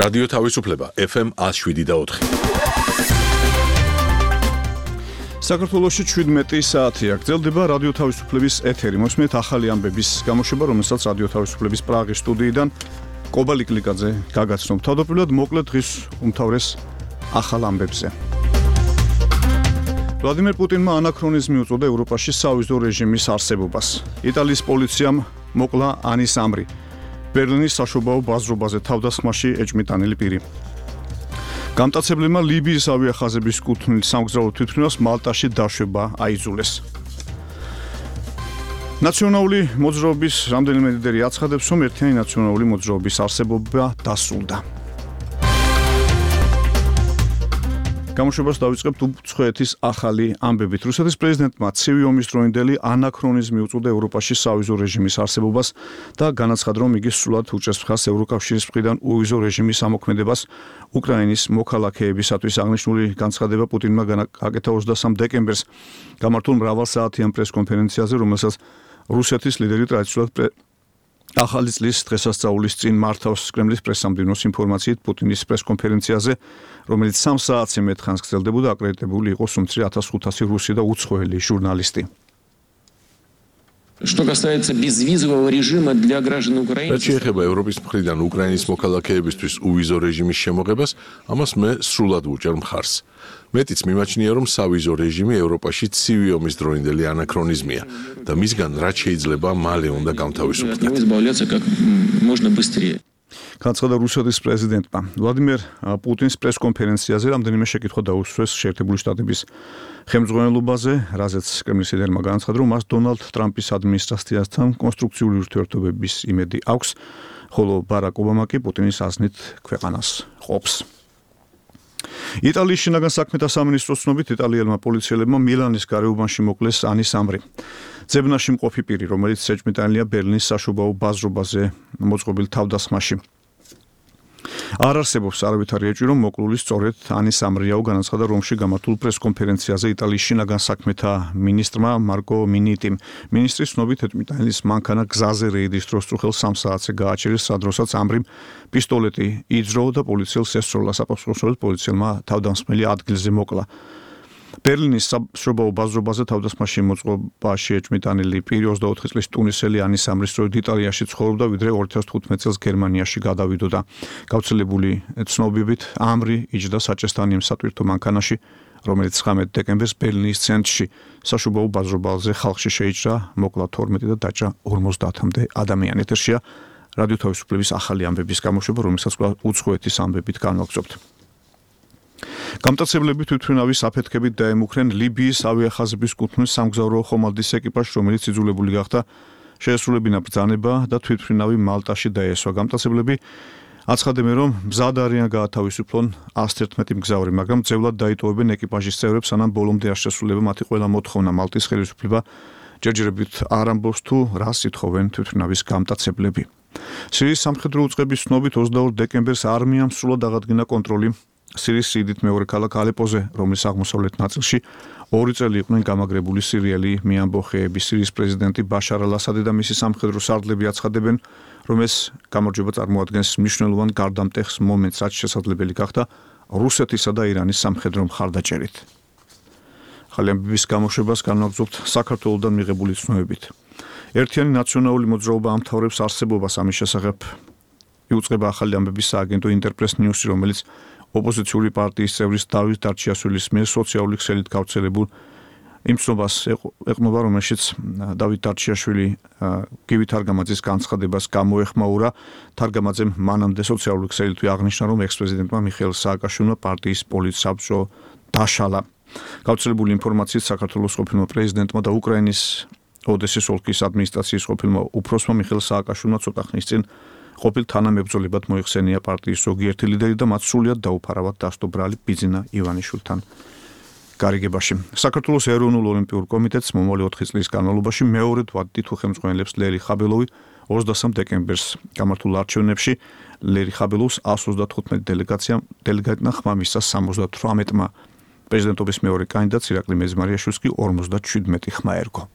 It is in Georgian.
რადიო თავისუფლება FM 107.4. საქართველოში 17 საათია გრძელდება რადიო თავისუფლების ეთერი. მოსმენთ ახალი ამბების გამოშვება, რომელსაც რადიო თავისუფლების პრაღის სტუდიიდან კობალი კლიკაძე გაგაცნობ. თავდაპირველად მოკლედ დღის უმთავრეს ახალ ამბებზე. ვლადიმერ პუტინმა ანაქრონიზმი უწოდა ევროპაში სავიზო რეჟიმის არსებობას. იტალიის პოლიციამ მოკლა ანის ამრი. ბერლინის საშობაო ბაზრობაზე თავდასხმაში ეჭმიტანილი პირი. გამტაცებლებმა ლიბიის ავიახაზების კუთვნილ სამგზავრო თვითმფრინავს მალტაში დაშვება აიძულეს. ნაციონალური მოძრაობის რამდენიმე ლიდერი აცხადებს, რომ ერთიანი ნაციონალური მოძრაობის არსებობა დასრულდა. გამოშვებას დავიწყებთ უცხოეთის ახალი ამბებით. რუსეთის პრეზიდენტმა ცივი ომის დროინდელი ანაქრონიზმი უწოდა ევროპაში სავიზო რეჟიმის არსებობას და განაცხადა, რომ იგი სრულად უჭერს მხარს ევროკავშირის მხრიდან უვიზო რეჟიმის ამოქმედებას უკრაინის მოქალაქეებისათვის. აღნიშნული განცხადება პუტინმა გაკეთა 23 დეკემბერს გამართულ მრავალსაათიან პრესკონფერენციაზე, რომელსაც რუსეთის ლიდერი ტრადიციულად ახალი წლის დღესასწაულის წინ მართავს. კრემლის პრესსამდივნოს ინფორმაციით პუტინის პრესკონფერენციაზე, რომელიც 3 საათზე მეტ ხანს გრძელდებოდა, აკრედიტებული იყო სუმცრი 1500 რუსი და უცხოელი ჟურნალისტი. Что касается безвизового режима для граждан Украины. რაც შეეხება ევროპის მხრიდან უკრაინის მოქალაქეებისთვის უვიზო რეჟიმის შემოღებას, ამას მე სრულად ვუჭერ მხარს. მეტიც მიმაჩნია, რომ სავიზო რეჟიმი ევროპაში ცივი ომის დროინდელი ანაქრონიზმია და მისგან რაც შეიძლება მალე უნდა გამთავისუფლდეთ. განაცხადა რუსეთის პრეზიდენტმა. ვლადიმერ პუტინის პრესკონფერენციაზე რამდენიმე შეკითხვა დაუსვეს შეერთებული შტატების ხელმძღვანელობაზე, რაზეც კრემლის ლიდერმა განაცხადა, რომ მას დონალდ ტრამპის ადმინისტრაციასთან კონსტრუქციული ურთიერთობების იმედი აქვს, ხოლო ბარაკ ობამა კი პუტინის აზნით ქვეყანას ყოფს. იტალიის შინაგან საქმეთა სამინისტროს ცნობით, იტალიელმა პოლიციელებმა მილანის გარეუბანში მოკლეს ანის ამრი. ძებნაში მყოფი პირი, რომელიც ეჭმიტანილია ბერლინის საშობაო ბაზრობაზე მოწყობილ თავდასხმაში. არ არსებობს არავითარი ეჭვი, რომ მოკლული სწორედ ანის ამრიაო, განაცხადა რომში გამართულ პრესკონფერენციაზე იტალიის შინაგან საქმეთა მინისტრმა მარკო მინიტიმ. მინისტრის ცნობით, ეჭმიტანილის მანქანა გზაზე რეიდის დროს სწრაფად 3 საათზე გააჩერეს, სადროსაც ამრიმ პისტოლეტი იძრო და პოლიციელს ესწროლა. საპასუხოდ პოლიციელმა თავდამსხმელი ადგილზე მოკლა. ბერლინის საშობაო ბაზრობაზე თავდასხმაში მოწყობაში ეჭმიტანილი პირი 24 წლის ტუნისელი ანის ამრის სწორედ იტალიაში ცხოვრობდა, ვიდრე 2015 წელს გერმანიაში გადავიდოდა. გავრცელებული ცნობებით, ამრი იჯდა საჭესთან იმ სატვირთო მანქანაში, რომელიც 19 დეკემბერს ბერლინის ცენტრში საშობაო ბაზრობაზე ხალხში შეიჭრა, მოკლა 12 და დაჭრა 50-მდე ადამიანი. ეთერშია რადიო თავისუფლების ახალი ამბების გამოშვება, რომელსაც უცხოეთის ამბებით განვაგრძობთ. გამტაცებლები თვითმფრინავის აფეთქებით დაემუქრენ ლიბიის ავიახაზების კუთვნილ სამგზავრო ხომალდის ეკიპაჟს, რომელიც იძულებული გახდა შეესრულებინა ბრძანება და თვითმფრინავი მალტაში დაესვა. გამტაცებლები აცხადებენ, რომ მზად არიან გაათავისუფლონ 111 მგზავრი, მაგრამ ძევლად დაიტოვებენ ეკიპაჟის წევრებს, სანამ ბოლომდე არ შესრულება მათი ყველა მოთხოვნა. მალტის ხელისუფლება ჯერჯერობით არ ამბობს თუ რას ითხოვენ თვითმფრინავის გამტაცებლები. სირიის სამხედრო უწყების ცნობით 22 დეკემბერს არმიამ სრულად აღადგინა კონტროლი სირიის სიდით მეორე ქალაქ ალეპოზე, რომლის აღმოსავლეთ ნაწილში 2 წელი იყვნენ გამაგრებული სირიელი მიამბოხეები. სირიის პრეზიდენტი ბაშარ ალ-ასადი და მისი სამხედრო სარდლები აცხადებენ, რომ ეს გამარჯვება წარმოადგენს მნიშვნელოვან გარდამტეხს მომენტს, რაც შესაძლებელი გახდა რუსეთისა და ირანის სამხედრო მხარდაჭერით. ახალი ამბების გამოშვებას განვაგრძობთ საქართველოსდან მიღებული ცნობებით. ერთიანი ნაციონალური მოძრაობა ამთავრებს არსებობას. ამის შესახებ იუწყება ახალი ამბების სააგენტო ინტერპრეს ნიუსი, რომელიც ოპოზიციური პარტიის წევრის დავით დარჩიაშვილის მიერ სოციალური ქსელით გავრცელებულ იმ ცნობას ეყრდნობა, რომელშიც დავით დარჩიაშვილი გივი თარგამაძის განცხადებას გამოეხმაურა. თარგამაძემ მანამდე სოციალური ქსელით აღნიშნა, რომ ექს-პრეზიდენტმა მიხეილ სააკაშვილმა პარტიის პოლიტსაბჭო დაშალა. გავრცელებული ინფორმაციით, საქართველოს ყოფილმა პრეზიდენტმა და უკრაინის ოდესის ოლქის ადმინისტრაციის ყოფილმა უფროსმა მიხეილ სააკაშვილმა ცოტა ხნის წინ ყოფილ თანამებრძოლებად მოიხსენია პარტიის ზოგიერთი ლიდერი და მათ სრულიად დაუფარავად დასდო ბრალი ბიძინა ივანიშვილთან გარიგებაში. საქართველოს ეროვნულ ოლიმპიურ კომიტეტს მომავალი 4 წლის განმავლობაში მეორედ ვადით თუ ხელმძღვანელებს ლერი ხაბელოვი 23 დეკემბერს გამართულ არჩევნებში. ლერი ხაბელოვს 135 დელეგატმა ხმა მისცა 78-მა. პრეზიდენტობის მეორე კანდიდატს ირაკლი მეძმარიაშვილს კი 57 ხმა ერგო.